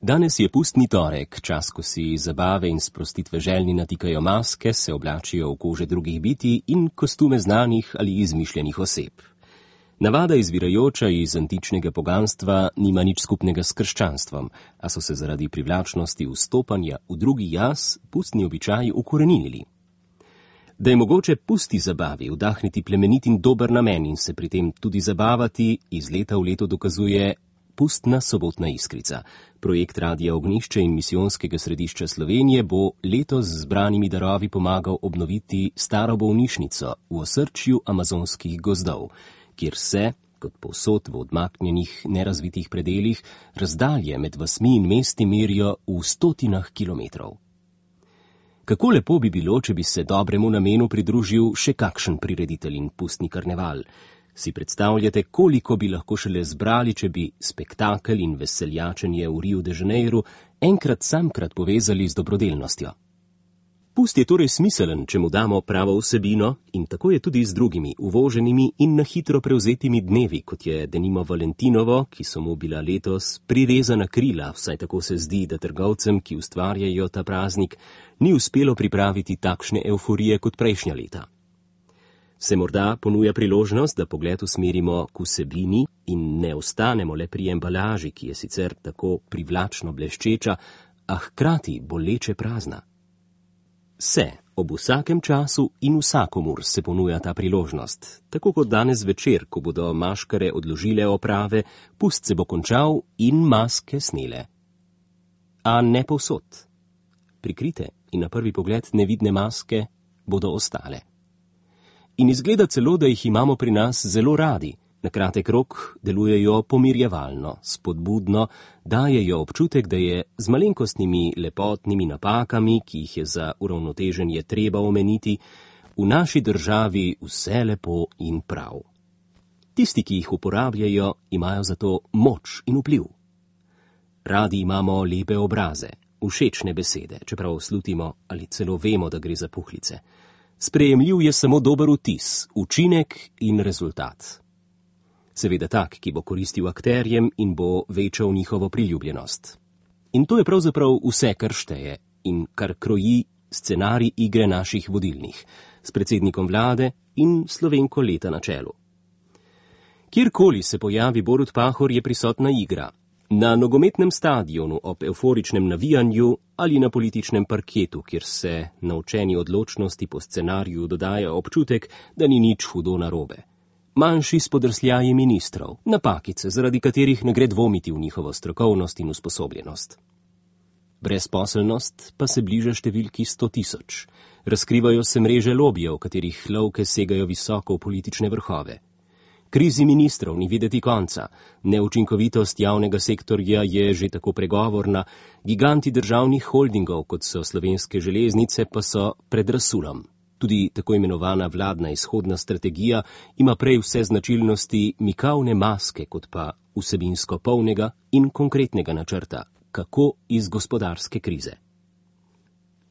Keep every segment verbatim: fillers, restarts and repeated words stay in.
Danes je pustni torek, čas, ko si zabave in sprostitve željni natikajo maske, se oblačijo v kože drugih bitij in kostume znanih ali izmišljenih oseb. Navada izvirajoča iz antičnega poganstva nima nič skupnega s krščanstvom, a so se zaradi privlačnosti vstopanja v drugi jaz pustni običaji ukoreninili. Da je mogoče pusti zabavi vdahniti plemenit in dober namen in se pri tem tudi zabavati, iz leta v leto dokazuje Pustna sobotna iskrica. Projekt Radia Ognjišče in Misijonskega središča Slovenije bo letos z zbranimi darovi pomagal obnoviti staro bolnišnico v osrčju amazonskih gozdov, kjer se, kot povsod v odmaknjenih, nerazvitih predelih, razdalje med vasmi in mesti merijo v stotinah kilometrov. Kako lepo bi bilo, če bi se dobremu namenu pridružil še kakšen prireditelj in pustni karneval. Si predstavljate, koliko bi lahko šele zbrali, če bi spektakel in veseljačenje v Riu de Janeiru enkrat samkrat povezali z dobrodelnostjo. Pust je torej smiselen, če mu damo pravo vsebino, in tako je tudi z drugimi uvoženimi in na hitro prevzetimi dnevi, kot je denimo Valentinovo, ki so mu bila letos prirezana krila, vsaj tako se zdi, da trgovcem, ki ustvarjajo ta praznik, ni uspelo pripraviti takšne evforije kot prejšnja leta. Se morda ponuja priložnost, da pogled usmerimo k vsebini in ne ostanemo le pri embalaži, ki je sicer tako privlačno bleščeča, a hkrati boleče prazna. Se, ob vsakem času in vsakomur se ponuja ta priložnost, tako kot danes večer, ko bodo maškare odložile oprave, pust se bo končal in maske snele. A ne povsod. Prikrite in na prvi pogled nevidne maske bodo ostale. In izgleda celo, da jih imamo pri nas zelo radi. Na kratek rok delujejo pomirjevalno, spodbudno, dajejo občutek, da je z malenkostnimi lepotnimi napakami, ki jih je za uravnoteženje treba omeniti, v naši državi vse lepo in prav. Tisti, ki jih uporabljajo, imajo zato moč in vpliv. Radi imamo lepe obraze, všečne besede, čeprav slutimo ali celo vemo, da gre za puhlice. Sprejemljiv je samo dober vtis, učinek in rezultat. Seveda tak, ki bo koristil akterjem in bo večal njihovo priljubljenost. In to je pravzaprav vse, kar šteje in kar kroji scenarij igre naših vodilnih, s predsednikom vlade in Slovenko leta na čelu. Kjerkoli se pojavi Borut Pahor, je prisotna igra. Na nogometnem stadionu ob evforičnem navijanju ali na političnem parketu, kjer se naučeni odločnosti po scenariju dodaja občutek, da ni nič hudo narobe. Manjši spodrsljaji ministrov, napakice, zaradi katerih ne gre dvomiti v njihovo strokovnost in usposobljenost. Brezposelnost pa se bliža številki sto tisoč. Razkrivajo se mreže lobijev, katerih lovke segajo visoko v politične vrhove. Krizi ministrov ni videti konca, neučinkovitost javnega sektorja je že tako pregovorna, giganti državnih holdingov, kot so Slovenske železnice, pa so pred razsulom. Tudi tako imenovana vladna izhodna strategija ima prej vse značilnosti mikavne maske, kot pa vsebinsko polnega in konkretnega načrta, kako iz gospodarske krize.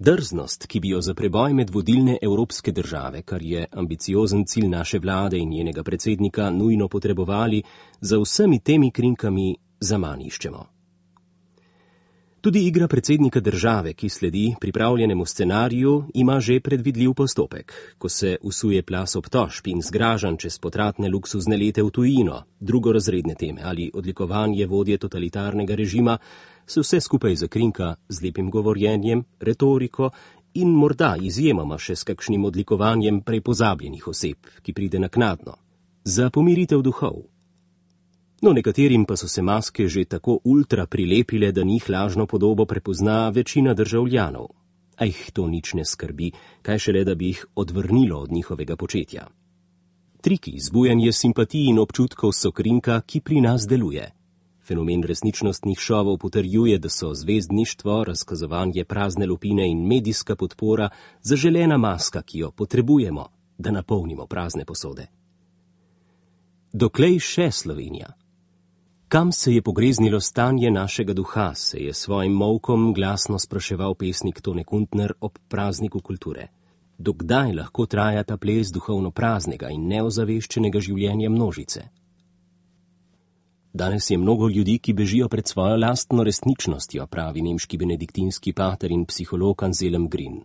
Drznost, ki bi jo za preboj med vodilne evropske države, kar je ambiciozen cilj naše vlade in njenega predsednika, nujno potrebovali, za vsemi temi krinkami zaman iščemo. Tudi igra predsednika države, ki sledi pripravljenemu scenariju, ima že predvidljiv postopek. Ko se usuje plas obtožb in zgražanj čez potratne luksuzne lete v tujino, drugorazredne teme ali odlikovanje vodje totalitarnega režima, se vse skupaj zakrinka z lepim govorjenjem, retoriko in morda izjemoma še s kakšnim odlikovanjem prej pozabljenih oseb, ki pride naknadno, za pomiritev duhov. No, nekaterim pa so se maske že tako ultra prilepile, da njih lažno podobo prepozna večina državljanov. A jih to nič ne skrbi, kaj šele, da bi jih odvrnilo od njihovega početja. Triki, zbujanje simpatij in občutkov so krinka, ki pri nas deluje. Fenomen resničnostnih šovov potrjuje, da so zvezdništvo, razkazovanje prazne lupine in medijska podpora zaželena maska, ki jo potrebujemo, da napolnimo prazne posode. Doklej še Slovenija? Kam se je pogreznilo stanje našega duha, se je svojim molkom glasno spraševal pesnik Tone Kuntner ob prazniku kulture. Dokdaj lahko traja ta ples duhovno praznega in neozaveščenega življenja množice? Danes je mnogo ljudi, ki bežijo pred svojo lastno resničnostjo, pravi nemški benediktinski pater in psiholog Anselm Green.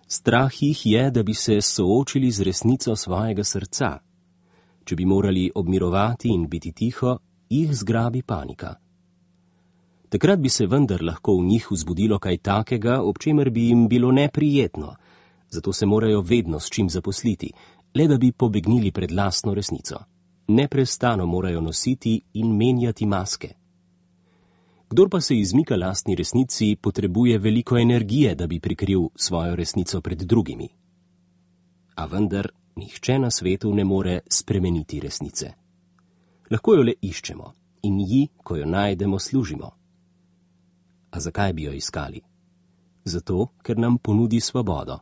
Strah jih je, da bi se soočili z resnico svojega srca. Če bi morali obmirovati in biti tiho, jih zgrabi panika. Takrat bi se vendar lahko v njih vzbudilo kaj takega, ob čemer bi jim bilo neprijetno, zato se morajo vedno s čim zaposliti, le da bi pobegnili pred lastno resnico. Neprestano morajo nositi in menjati maske. Kdor pa se izmika lastni resnici, potrebuje veliko energije, da bi prikril svojo resnico pred drugimi. A vendar nihče na svetu ne more spremeniti resnice. Lahko jo le iščemo in ji, ko jo najdemo, služimo. A zakaj bi jo iskali? Zato, ker nam ponudi svobodo.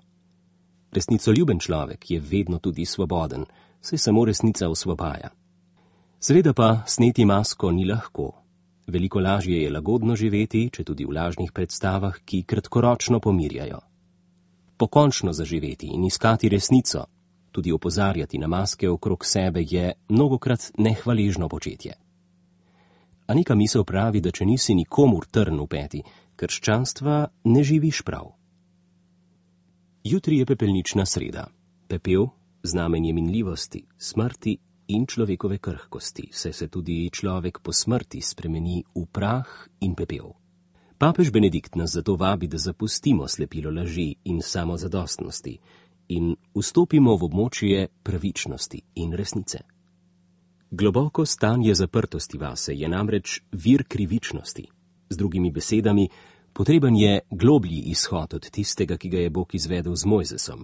Resnicoljuben človek je vedno tudi svoboden, saj samo resnica osvobaja. Seveda pa sneti masko ni lahko. Veliko lažje je lagodno živeti, če tudi v lažnih predstavah, ki kratkoročno pomirjajo. Pokončno zaživeti in iskati resnico, tudi opozarjati na maske okrog sebe, je mnogokrat nehvaležno početje. A neka misel pravi, da če nisi nikomur trn v peti, krščanstva ne živiš prav. Jutri je pepelnična sreda. Pepel, znamenje minljivosti, smrti in človekove krhkosti, saj se tudi človek po smrti spremeni v prah in pepel. Papež Benedikt nas zato vabi, da zapustimo slepilo laži in samozadostnosti in vstopimo v območje pravičnosti in resnice. Globoko stanje zaprtosti vase je namreč vir krivičnosti. Z drugimi besedami, potreben je globlji izhod od tistega, ki ga je Bog izvedel z Mojzesom.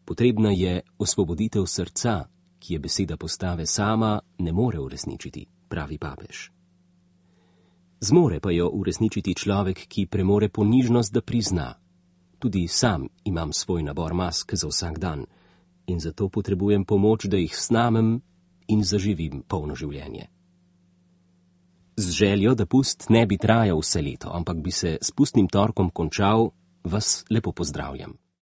Potrebna je osvoboditev srca, ki je beseda postave sama ne more uresničiti, pravi papež. Zmore pa jo uresničiti človek, ki premore ponižnost, da prizna. Tudi sam imam svoj nabor mask za vsak dan in zato potrebujem pomoč, da jih snamem in zaživim polno življenje. Z željo, da pust ne bi trajal vse leto, ampak bi se s pustnim torkom končal, vas lepo pozdravljam.